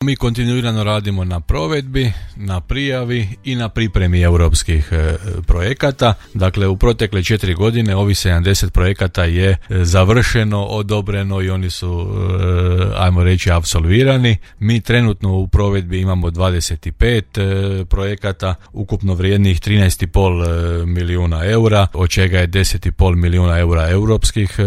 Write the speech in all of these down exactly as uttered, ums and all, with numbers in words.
Mi kontinuirano radimo na provedbi, na prijavi i na pripremi europskih e, projekata. Dakle, u protekle četiri godine ovih sedamdeset projekata je završeno, odobreno i oni su, e, ajmo reći, apsolvirani. Mi trenutno u provedbi imamo dvadeset pet e, projekata, ukupno vrijednih trinaest i pol milijuna eura, od čega je deset i pol milijuna eura europskih e,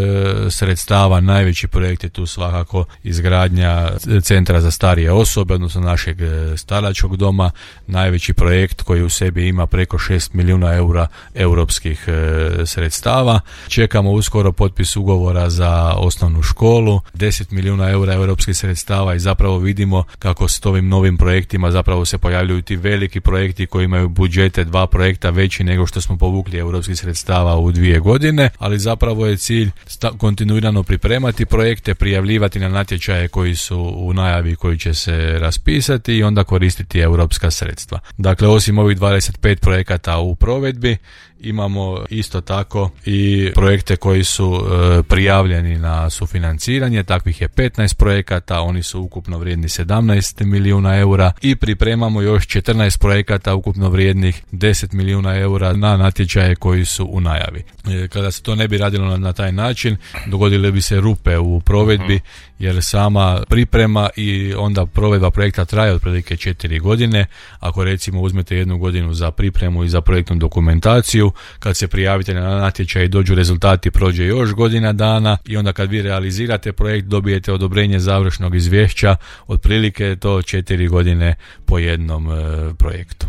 sredstava. Najveći projekt je tu svakako izgradnja centra za starije osobe osobe, odnosno našeg staračkog doma, najveći projekt koji u sebi ima preko šest milijuna eura europskih e, sredstava. Čekamo uskoro potpis ugovora za osnovnu školu, deset milijuna eura europskih sredstava i zapravo vidimo kako s ovim novim projektima zapravo se pojavljuju ti veliki projekti koji imaju budžete dva projekta veći nego što smo povukli europskih sredstava u dvije godine, ali zapravo je cilj sta- kontinuirano pripremati projekte, prijavljivati na natječaje koji su u najavi, koji će se raspisati i onda koristiti europska sredstva. Dakle, osim ovih dvadeset pet projekata u provedbi, imamo isto tako i projekte koji su e, prijavljeni na sufinanciranje, takvih je petnaest projekata, oni su ukupno vrijedni sedamnaest milijuna eura i pripremamo još četrnaest projekata ukupno vrijednih deset milijuna eura na natječaje koji su u najavi. E, kada se to ne bi radilo na, na taj način, dogodile bi se rupe u provedbi, jer sama priprema i onda provedba projekta traje otprilike četiri godine. Ako recimo uzmete jednu godinu za pripremu i za projektnu dokumentaciju, kad se prijavite na natječaj i dođu rezultati, prođe još godina dana i onda kad vi realizirate projekt dobijete odobrenje završnog izvješća, otprilike je to četiri godine po jednom e, projektu.